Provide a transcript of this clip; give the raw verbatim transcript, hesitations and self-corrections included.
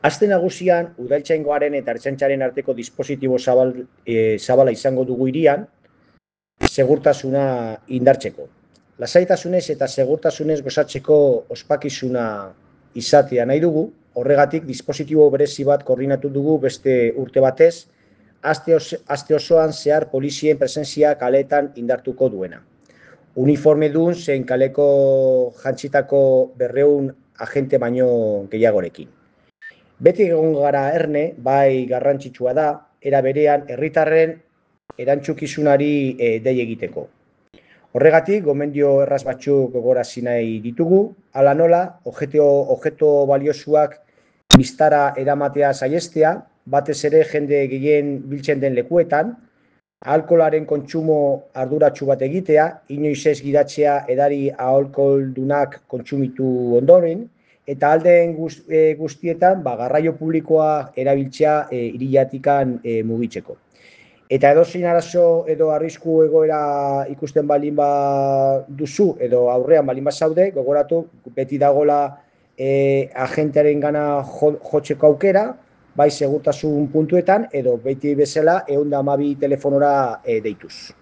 Aste nagusian, udaltzaingoaren eta ertzaintzaren arteko dispositibo zabal, e, zabala izango dugu hirian, segurtasuna indartzeko. Lasaitasunez eta segurtasunez gozatzeko ospakizuna izatea nahi dugu, horregatik dispositibo berezi bat koordinatu dugu beste urte batez, aste, os, aste osoan zehar polizien presentzia kaleetan indartuko duena. Uniforme dun zein kaleko jantzitako berreun agente baino gehiagorekin. Beti egon gara erne, bai garrantzitsua da, era berean herritarren erantzukizunari e, dei egiteko. Horregatik, gomendio erraz batzuk gogorazi nahi ditugu, hala nola, objeto, objeto baliosuak biztara eramatea saihestea, batez ere jende gehien biltzen den lekuetan, alkoholaren kontsumo arduratsu bat egitea, inoiz ez gidatzea edari alkoholdunak kontsumitu ondoren, eta aldeen guztietan ba, garraio publikoa erabiltzea e, iriatikan e, mugitzeko. Eta edozein arazo edo arrisku egoera ikusten balin ba duzu edo aurrean balin bazaude, gogoratu beti dagola e, agentearen gana jo, jotzeko aukera, bai segurtasun puntuetan edo beti bezala ehun eta hamabi telefonora e, deituz.